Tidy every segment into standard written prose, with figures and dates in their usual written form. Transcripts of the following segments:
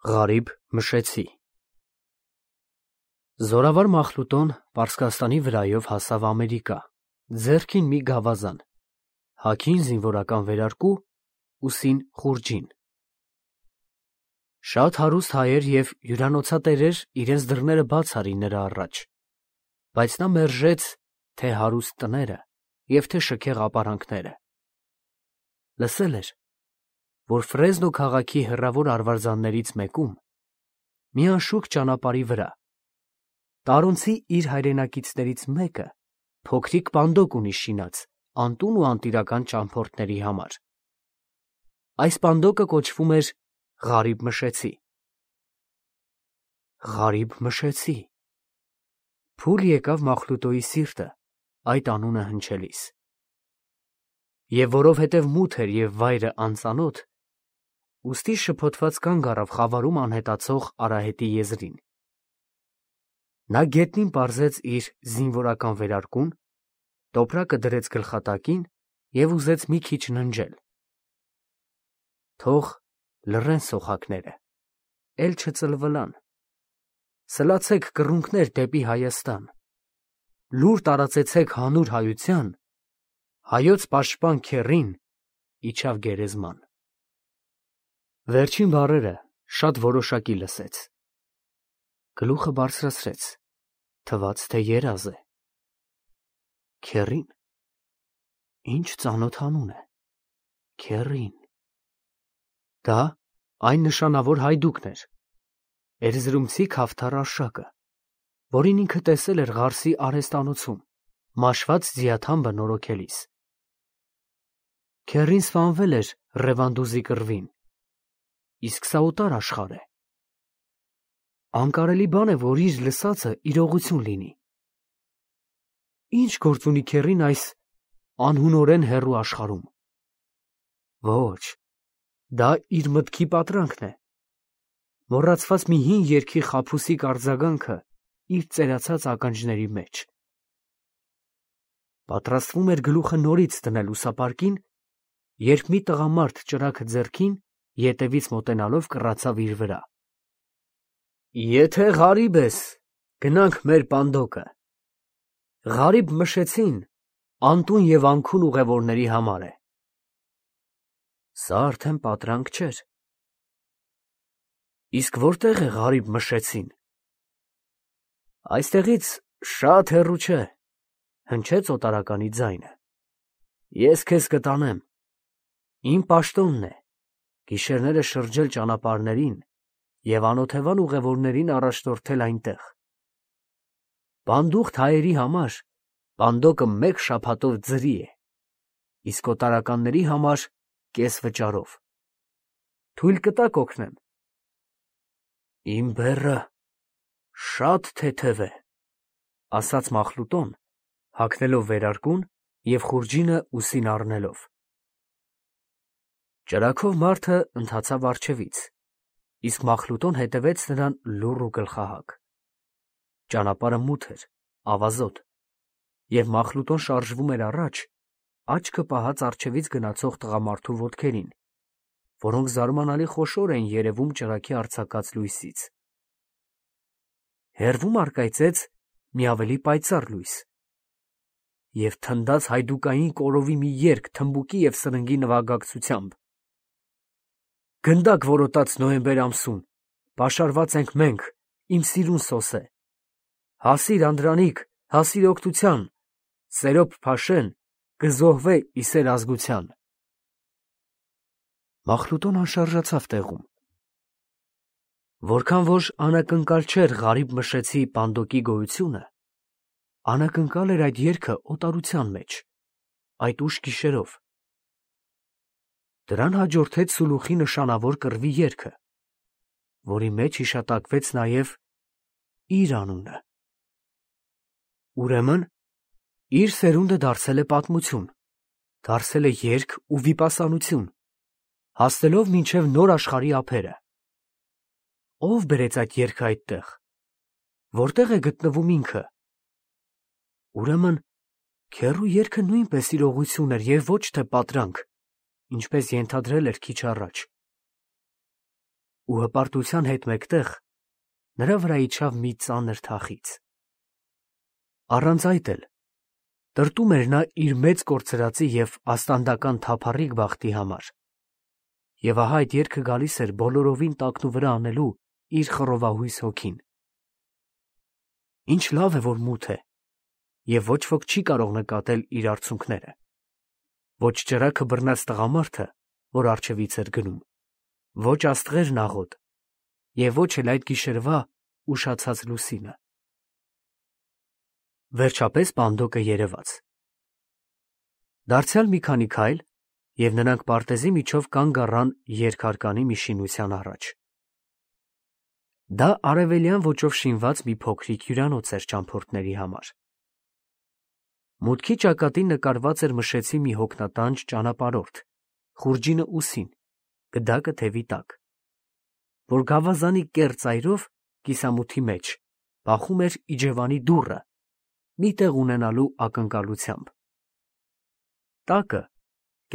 Ղարիբ Մշեցի Զորավար Մախլուտոն Պարսկաստանի վրայով հասավ Ամերիկա, ձեռքին մի գավազան, հագին զինվորական վերարկու, ուսին խուրջին։ Շատ հարուստ հայեր և հյուրանոցատերեր իրենց դռները բաց արին նրա առաջ, բայց նա մերժեց թե հարուստ տները և թե շքեղ ապարանքները։ Լսել էր, որ Ֆրեզնո քաղաքի հեռավոր արվարձաններից մեկում, մի անշուք ճանապարհի վրա, տարոնցի իր հայրենակիցներից մեկը փոքրիկ պանդոկ ունի շինած անտուն ու անտիրական ճամփորդների համար։ Այս պանդոկը կոչվում էր Ղարիբ Մշեցի։ Ղարիբ Մշեցի։ Փուլ եկավ Մախլուտոյի սիրտը այդ անունը հնչելիս։ Եվ որովհետև մութ էր և վայրը անծանոթ, ուստի շփոթված կանգ առավ խավարում անհետացող արահետի եզրին։ Նա գետնին պարզեց իր զինվորական վերարկուն, տոպրակը դրեց գլխատակին և ուզեց մի քիչ ննջել։ Թող լռեն սոխակները, էլ չծլվլան, սլացեք կռունկներ դեպի Հայաստան, լուր տարածեցեք հանուր հայության, հայոց պաշտպան քեռին իջավ գերեզման։ Վերջին բառերը շատ որոշակի լսեց։ Գլուխը բարձրացրեց, թվաց, թե երազ է։ Քեռին, ինչ ծանոթ անուն է, քեռին։ Դա այն նշանավոր հայդուկն էր, էրզրումցի Քավթար Արշակը, որին ինքը տեսել էր Ղարսի արհեստանոցում, մաշված ձիաթամբը նորոգելիս։ Քեռին սպանվել էր Ռևանդուզի կռվին, իսկ սա օտար աշխարհ է։ Անկարելի բան է, որ իր լսածը իրողություն լինի։ Ինչ գործ ունի քեռին այս անհունորեն հեռու աշխարհում։ Ոչ, դա իր մտքի պատրանքն է, մոռացված մի հին երգի խաբուսիկ արձագանքը իր ծերացած ականջների մեջ։ Պատրաստվում էր գլուխը նորից դնել ուսապարկին, երբ մի տղամարդ ճրագը ձեռքին, ետևից մոտենալով կռացավ իր վրա։ Եթե Ղարիբ ես, գնանք մեր պանդոկը։ Ղարիբ Մշեցին անտուն և անքուն ուղևորների համար է։ Սա արդեն պատրանք չէր։ Իսկ որտե՞ղ է Ղարիբ Մշեցին։ Այստեղից շատ հեռու չէ, հնչեց օտարականի ձայնը։ Ես քեզ կտանեմ։ Իմ պաշտոնն է գիշերները շրջել ճանապարհներին և անօթևան ուղևորներին առաջնորդել այնտեղ։ Բանդուղտ հայերի համար պանդոկը մեկ շաբաթով ձրի է, իսկ օտարականների համար կես վճարով։ Թույլ կտաք օգնեմ։ Իմ բեռը շատ թեթև է, ասաց Մախլուտոն, հագնելով վերարկուն և խուրջինը ուսին առնելով։ Ճրագով մարդը ընթացավ առջևից, իսկ Մախլուտոն հետևեց նրան լուռ ու գլխահակ։ Ճանապարհը մութ էր, ավազոտ, և Մախլուտոն շարժվում էր առաջ, աչքը պահած առջևից գնացող տղամարդու ոտքերին, որոնք զարմանալի խոշոր էին երևում ճրագի արձակած լույսից։ Հեռվում առկայծեց մի ավելի պայծառ լույս, և թնդաց հայդուկային կորովի մի երգ թմբուկի և սրնգի նվագակցությամբ։ Գնդակ որոտաց նոյեմբեր ամսում, պաշարված ենք մենք, իմ սիրուն սոսե։ Հասիր Անդրանիկ, հասիր օգնության, Սերոբ Փաշեն կզոհվե ի սեր ազգության։ Մախլուտոն անշարժացավ տեղում։ Որքան որ անակնկալ չէր Ղարիբ Մշեցի պանդոկի գոյությունը, անակնկալ էր այդ երգը օտարության մեջ, այդ ուշ գիշերով։ Դրան հաջորդեց Սուլուխի նշանավոր կռվի երգը, որի մեջ հիշատակվեց նաև իր անունը։ Ուրեմն իր սերունդը դարձել է պատմություն, դարձել է երգ ու վիպասանություն, հասնելով մինչև նոր աշխարհի ափերը։ Ո՞վ բերեց այդ երգը այդտեղ, որտեղ է գտնվում ինքը։ Ուրեմն քեռու երգը նույնպես իրողություն էր և ոչ թե պատրանք, ինչպես ենթադրել էր քիչ առաջ։ ու հպարտության հետ մեկտեղ նրա վրա իջավ մի ծանր թախիծ։ Առանց այդ էլ տրտում էր նա իր մեծ կորցրածի և աստանդական թափառիկ բախտի համար։ Եվ ահա այդ երգը գալիս էր բոլորովին տակնուվրա անելու իր խռովահույս հոգին։ Ինչ լավ է, որ մութ է, և ոչ ոք չի կարող նկատել իր արցունքները։ Ոչ ճրագը բռնած տղամարդը, որ առջևից էր գնում, ոչ աստղերն աղոտ, և ոչ էլ այդ գիշերվա ուշացած լուսինը։ Վերջապես բանդոկը երևաց։ Դարձյալ մի քանի քայլ, և նրանք պարտեզի միջով կանգ առան երկհարկանի մի շինության առաջ։ Դա արևելյան ոճով շինված մի փոքրիկ հյուրանոց էր ճամփորդների համար։ Մուտքի ճակատին նկարված էր մշեցի մի հոգնատանջ ճանապարհորդ, խուրջինը ուսին, գդակը թևի տակ, որ գավազանի կեռ ծայրով կիսամութի մեջ բախում էր իջևանի դուռը, մի տեղ ունենալու ակնկալությամբ։ Տակը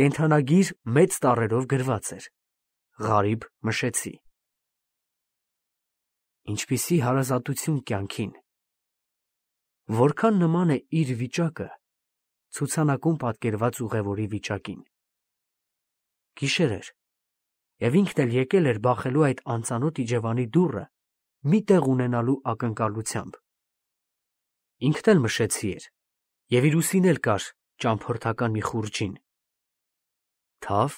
կենդանագիր մեծ տառերով գրված էր. «Ղարիբ Մշեցի»։ Ինչպիսի հարազատություն կյանքին։ Որքան նման է իր վիճակը ցուցանակում պատկերված ուղևորի վիճակին։ Գիշեր էր, և ինքն էլ եկել էր բախելու այդ անծանոթ իջևանի դուռը մի տեղ ունենալու ակնկալությամբ։ Ինքն էլ Մշեցի էր, և իր ուսին էլ կար ճամփորդական մի խուրջին։ Թավ,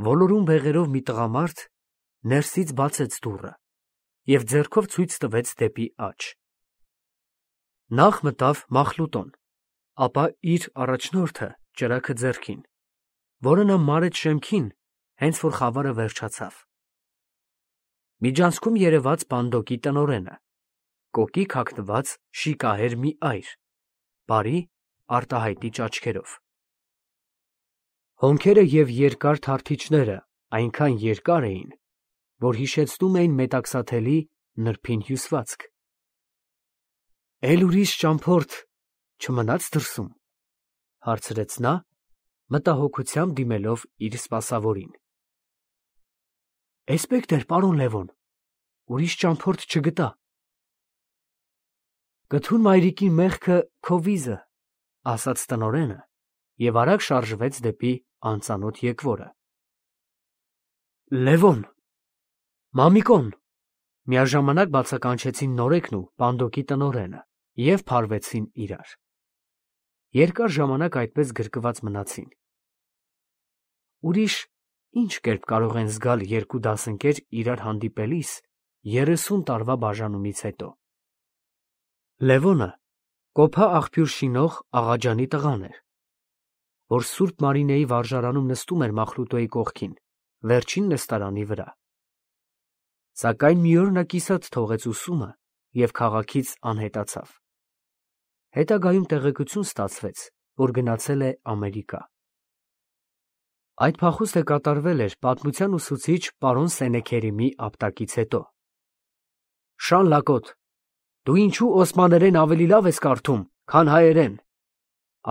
ոլորուն բեղերով մի տղամարդ ներսից բացեց դուռը և ձեռքով ցույց տվեց դեպի աջ։ Նախ մտավ Մախլուտոն, ապա իր առաջնորդը ճրագը ձեռքին, որը նա մարեց շեմքին, հենց որ խավարը վերջացավ։ Միջանցքում երևաց բանդոկի տնօրենը, կոկիկ հագնված շիկահեր մի այր, բարի արտահայտիչ աչքերով։ Հոնքերը և երկար թարթիչները այնքան երկար էին, որ հիշեցնում էին մետաքսաթելի նրբին հյուսվածք։ «Էլ ուրիշ ճամփորդ չմնաց դրսում», ֊ հարցրեց նա, մտահոգությամբ դիմելով իր սպասավորին։ «Էսպեկտր, պարոն Լևոն, ուրիշ ճամփորդ չգտա»։ «Կթուն մայրիկի մեղքը քո վիզը», ֊ ասաց տնօրենը և արագ շարժվեց դեպի անծանոթ եկվորը։ «Լևոն, Մամիկոն», ֊ միաժամանակ բացականչեցին նորեկն ու բանդոկի տնօրենը և փարվեցին իրար։ Երկար ժամանակ այդպես գրկված մնացին։ Ուրիշ ինչ կերպ կարող են զգալ երկու դասընկեր իրար հանդիպելիս 30 տարվա բաժանումից հետո։ Լևոնը կոփա աղբյուր շինող Աղաջանի տղան էր, որ Սուրբ Մարինեի վարժարանում նստում էր Մախլուտոյի կողքին, վերջին նստարանի վրա։ Սակայն մի օր նա կիսատ թողեց ուսումը և քաղաքից անհետացավ։ Հետագայում տեղեկություն ստացվեց, որ գնացել է Ամերիկա։ Այդ փախուստը կատարվել էր պատմության ուսուցիչ պարոն Սենեքերիմի ապտակից հետո։ «Շան լակոտ, դու ինչու օսմաներեն ավելի լավ ես կարդում, քան հայերեն», ֊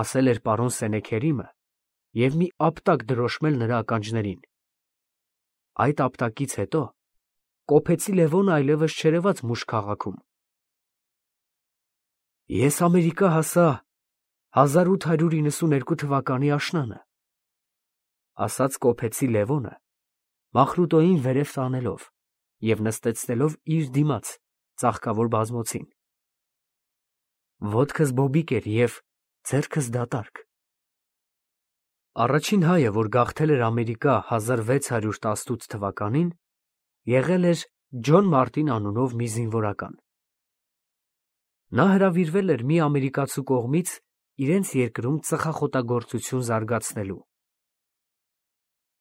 ասել էր պարոն Սենեքերիմը և մի ապտակ դրոշմել նրա ականջներին։ Այդ ապտակից հետո կոփեցի Լևոնը այլևս չերևաց մուշ քաղաքում։ «Ես Ամերիկա հասա 1892 թվականի աշնանը», ֊ ասաց կոփեցի Լևոնը, Մախլուտոյին վերև տանելով և նստեցնելով իր դիմաց ծաղկավոր բազմոցին։ Ոտքս բոբիկ էր և ձեռքս դատարկ։ Առաջին հայը, որ գաղթել էր Ամերիկա 1618 թվականին, եղել էր Ջոն Մարտին անունով մի զինվորական։ Նա հրավիրվել էր մի ամերիկացու կողմից իրենց երկրում ծխախոտագործություն զարգացնելու։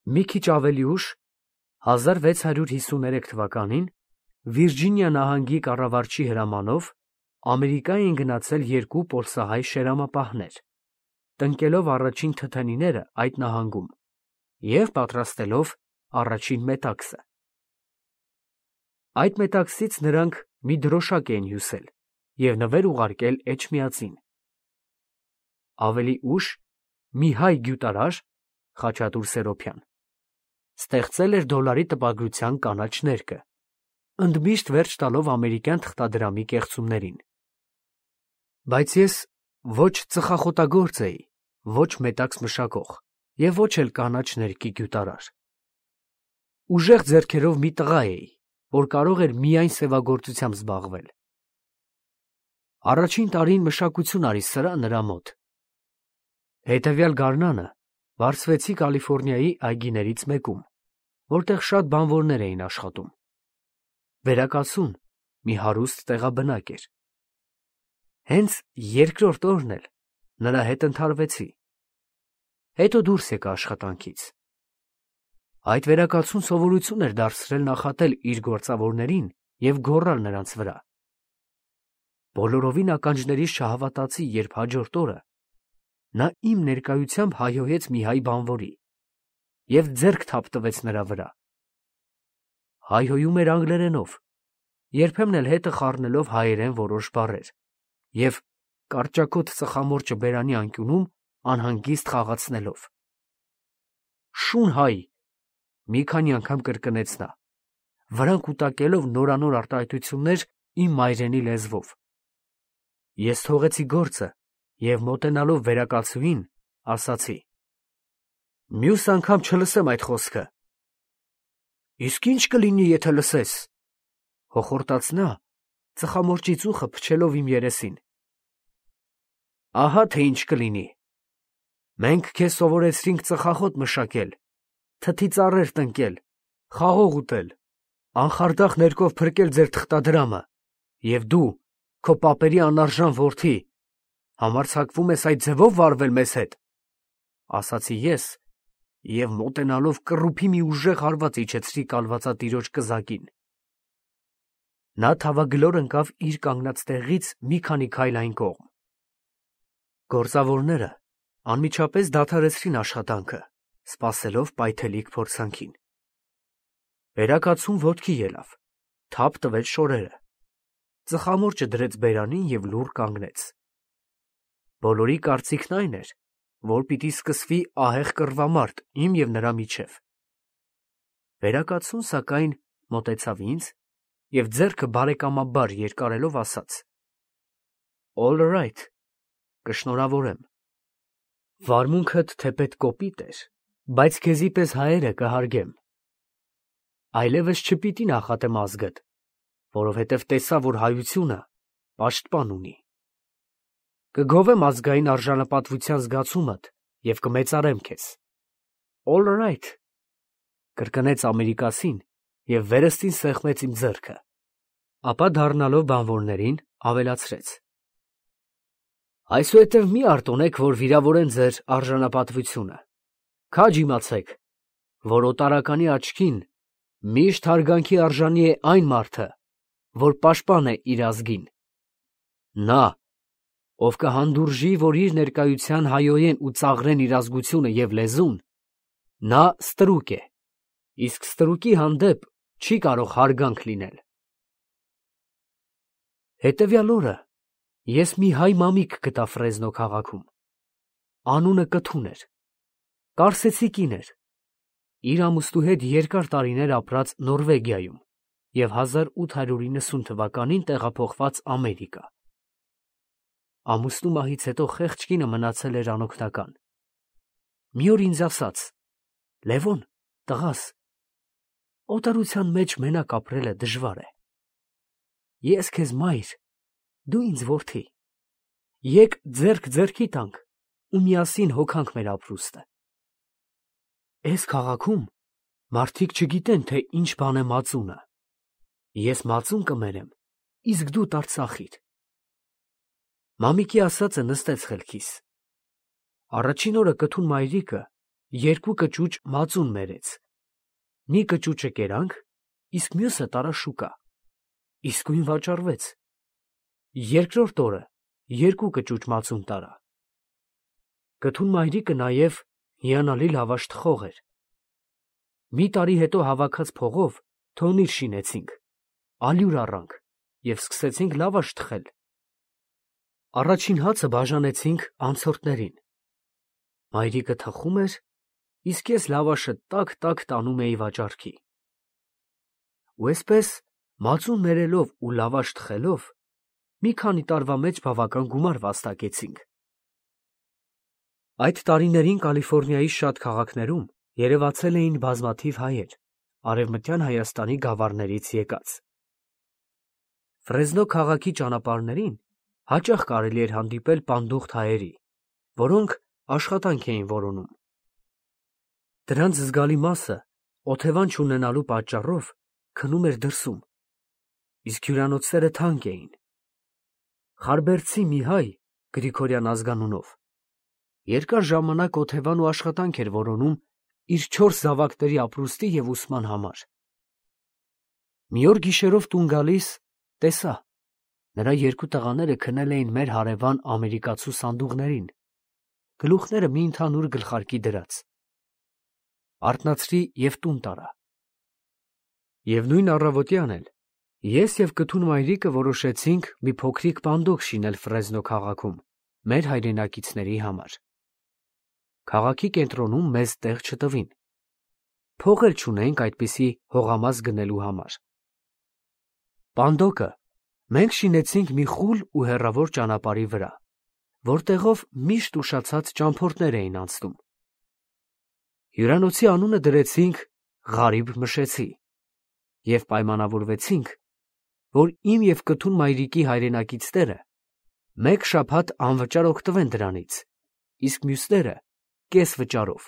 Մի քիչ ավելի ուշ, 1653 թվականին, Վիրջինիա նահանգի կառավարչի հրամանով Ամերիկա էին գնացել երկու պոլսահայ շերամապահներ, տնկելով առաջին թթենիները այդ նահանգում և պատրաստելով առաջին մետաքսը։ Այդ մետաքսից նրանք մի դրոշակ էին հյուսել և նվեր ուղարկել Էջմիածին։ Ավելի ուշ մի հայ գյուտարար Խաչատուր Սերոբյան ստեղծել էր դոլարի տպագրության կանաչ ներկը, ընդմիշտ վերջ տալով ամերիկյան թղթադրամի կեղծումներին։ Բայց ես ոչ ծխախոտագործ էի, ոչ մետաքս մշակող և ոչ էլ կանաչ ներկի գյուտարար։ Ուժեղ ձեռքերով մի տղա էի, որ կարող էր միայն սևագործությամբ զբաղվել։ Առաջին տարին մշակություն արի սրա նրա մոտ։ Հետևյալ գարնանը վարձվեցի Կալիֆոռնիայի այգիներից մեկում, որտեղ շատ բանվորներ էին աշխատում։ Վերակացուն մի հարուստ տեղաբնակ էր։ Հենց երկրորդ օրն էլ նրա հետ ընդհարվեցի։ Հետո դուրս եկա աշխատանքից։ Այդ վերակացուն սովորություն էր դարձրել նախատել իր գործավորներին և գոռալ նրանց վրա։ Բոլորովին ականջներիս չհավատացի, երբ հաջորդ օրը նա իմ ներկայությամբ հայհոյեց մի հայ բանվորի և ձեռք թափ տվեց նրա վրա։ Հայհոյում էր անգլերենով, երբեմն էլ հետը խառնելով հայերեն որոշ բառեր և կարճակոթ ծխամորճը բերանի անկյունում անհանգիստ խաղացնելով։ «Շուն հայ», մի քանի անգամ կրկնեց նա, վրան կուտակելով նորանոր արտահայտություններ իմ մայրենի լեզվով։ Ես թողեցի գործը և մոտենալով վերակացուին, ասացի. «Մյուս անգամ չլսեմ այդ խոսքը»։ «Իսկ ի՞նչ կլինի, եթե լսես», հոխորտաց նա, ծխամորճի ծուխը փչելով իմ երեսին։ «Ահա թե ինչ կլինի. մենք քեզ սովորեցրինք ծխախոտ մշակել, թթի ծառեր տնկել, խաղող ուտել, անխարդախ ներկով փրկել ձեր թղթադրամը, և դու, քո պապերի անարժան որդի, համարձակվում ես այդ ձևով վարվել մեզ հետ», ասացի ես և մոտենալով կռուփի մի ուժեղ հարված իջեցրի կալվածատիրոջ կզակին։ Նա թավագլոր ընկավ իր կանգնած տեղից մի քանի քայլ այն կողմ։ Գործավորները անմիջապես դադարեցրին աշխատանքը, սպասելով պայթելիկ փորձանքին։ Վերակացուն ոտքի ելավ, թափ տվեց շորերը, ծխամորճը դրեց բերանին և լուռ կանգնեց։ Բոլորի կարծիքն այն էր, որ պիտի սկսվի ահեղ կռվամարտ իմ և նրա միջև։ Վերակացուն, սակայն, մոտեցավ ինձ և ձեռքը բարեկամաբար երկարելով ասաց. «All right, կշնորհավորեմ։ Վարմունքդ թեպետ կոպիտ էր, բայց քեզի պես հայերը կհարգեմ։ Այլևս չպիտի նախատեմ ազգդ, որովհետև տեսա, որ հայությունը պաշտպան ունի։ Կգովեմ ազգային արժանապատվության զգացումդ և կմեծարեմ քեզ»։ «All right», կրկնեց ամերիկացին և վերստին սեղմեց իմ ձեռքը, ապա դառնալով բանվորներին ավելացրեց. «Այսուհետև մի արտոնեք, որ վիրավորեն ձեր արժանապատվությունը, քաջ իմացեք, որ օտարականի աչքին միշտ հարգանքի արժանի է այն մարդը, որ պաշտպան է իր ազգին։ Նա, ով կհանդուրժի, որ իր ներկայության հայհոյեն ու ծաղրեն իր ազգությունը և լեզուն, նա ստրուկ է, իսկ ստրուկի հանդեպ չի կարող հարգանք լինել»։ Հետևյալ օրը ես մի հայ մամիկ գտա Ֆրեզնո քաղաքում։ Անունը Կթուն էր, կարսեցի կին էր, իր ամուսնու հետ երկար տարիներ ապրած Նորվեգիայում և 1890 թվականին տեղափոխված Ամերիկա։ Ամուսնու մահից հետո խեղճ կինը մնացել էր անօգնական։ Մի օր ինձ ասաց. «Լևոն, տղաս, օտարության մեջ մենակ ապրելը դժվար է։ Ես քեզ մայր, դու ինձ որդի։ Եկ ձեռք ձեռքի տանք ու միասին հոգանք մեր ապրուստը։ Էս քաղաքում մարդիկ չգիտեն, թե ինչ բան է մածունը։ Ես մածուն կմերեմ, իսկ դու տարծախիր»։ Մամիկի ասածը նստեց խելքիս։ Առաջին օրը Կթուն մայրիկը 2 կճուճ մածուն մերեց։ Մի կճուճը կերանք, իսկ մյուսը տարավ շուկա։ Իսկույն վաճառվեց։ Երկրորդ օրը 2 կճուճ մածուն տարա։ Կթուն մայրիկը նաև հիանալի լավաշ թխող էր։ Մի տարի հետո հավաքած փողով թոնիր շինեցինք, ալյուր առանք և սկսեցինք լավաշ թխել։ Առաջին հացը բաժանեցինք անցորդներին։ Մայրիկը թխում էր, իսկ ես լավաշը տակ տանում էի վաճառքի։ Ու այսպես, մածուն ներելով ու լավաշ թխելով, մի քանի տարվա մեջ բավական գումար վաստակեցինք։ Այդ տարիներին Կալիֆոռնիայի շատ քաղաքներում երևացել էին բազմաթիվ հայեր, Արևմտյան Հայաստանի գավառներից եկած։ Ֆրեզնո քաղաքի ճանապարհներին հաճախ կարելի էր հանդիպել պանդուխտ հայերի, որոնք աշխատանք էին որոնում։ Դրանց զգալի մասը օթևան չունենալու պատճառով քնում էր դրսում, իսկ հյուրանոցները թանկ էին։ Խարբերդցի մի հայ, Գրիգորյան ազգանունով, երկար ժամանակ օթևան ու աշխատանք էր որոնում իր 4 զավակների ապրուստի և ուսման համար։ Մի օր գիշերով տուն գալիս, տեսա, նրա 2 տղաները քնել էին մեր հարևան ամերիկացու սանդուղներին, գլուխները մի ընդհանուր գլխարկի դրած։ Արթնացրի և տուն տարա։ Եվ նույն առավոտյան էլ ես և կթուն մայրիկը որոշեցինք մի փոքրիկ պանդոկ շինել Ֆրեզնո քաղաքում մեր հայրենակիցների համար։ Քաղաքի կենտրոնում մեզ տեղ չտվին։ Փող էլ չունեինք այդպիսի հողամաս գնելու համար։ Պանդոկը մենք շինեցինք մի խուլ ու հեռավոր ճանապարհի վրա, որտեղով միշտ ուշացած ճամփորդներ էին անցնում։ Հյուրանոցի անունը դրեցինք Ղարիբ Մշեցի և պայմանավորվեցինք, որ իմ և կթուն մայրիկի հայրենակիցները մեկ շաբաթ անվճար օգտվեն դրանից, իսկ մյուսները կես վճարով։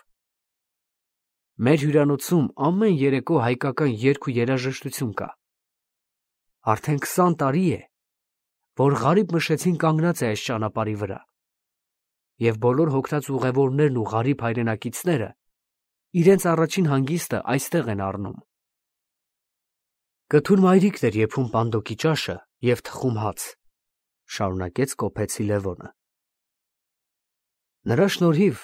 Մեր հյուրանոցում ամեն երեկո հայկական երգ ու երաժշտություն կա։ Արդեն 20 տարի է, որ Ղարիբ Մշեցին կանգնած է այս ճանապարհի վրա, և բոլոր հոգնած ուղևորներն ու Ղարիբ հայրենակիցները իրենց առաջին հանգիստը այստեղ են առնում։ Կթուն մայրիկն էր եփում պանդոկի ճաշը և թխում հաց, շարունակեց կոփեցի Լևոնը։ Նրա շնորհիվ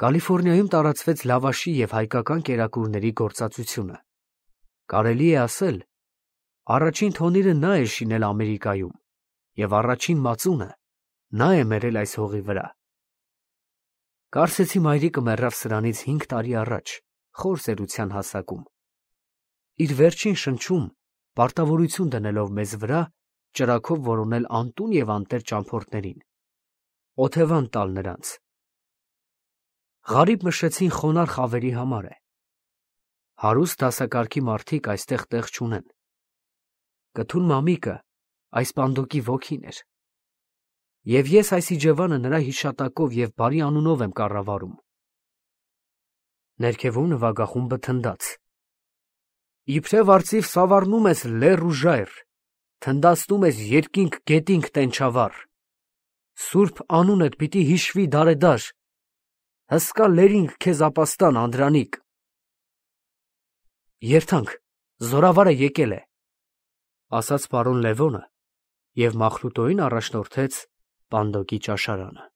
Կալիֆոռնիայում տարածվեց լավաշի և հայկական կերակուրների գործածությունը։ Կարելի է ասել, առաջին թոնիրը նա է շինել Ամերիկայում և առաջին մածունը նա է մերել այս հողի վրա։ Կարծեցի մայրիկը մեռավ սրանից 5 տարի առաջ, խոր ծերության հասակում, իր վերջին շնչում պարտավորություն դնելով մեզ վրա ճրագով որոնել անտուն և անտեր ճամփորդներին, օթևան տալ նրանց։ Ղարիբ Մշեցին խոնարհ խավերի համար է։ Հարուստ դասակարգի մարդիկ այստեղ տեղ չունեն։ Կթուն մամիկը այս պանդոկի ոգին էր։ Եվ ես այս իջևանը նրա հիշատակով և բարի անունով եմ կառավարում։ Ներքևում նվագախումբը թնդաց. Իբրև արծիվ սավառնում ես լեռ ու ժայռ, թնդացնում ես երկինք գետինք տենչավառ, սուրբ անունդ պիտի հիշվի դարեդար, հսկա լերինք քեզ ապաստան Անդրանիկ։ Երթանք, զորավարը եկել է, ասաց պարոն Լևոնը և Մախլուտոյին առաջնորդեց պանդոկի ճաշարանը։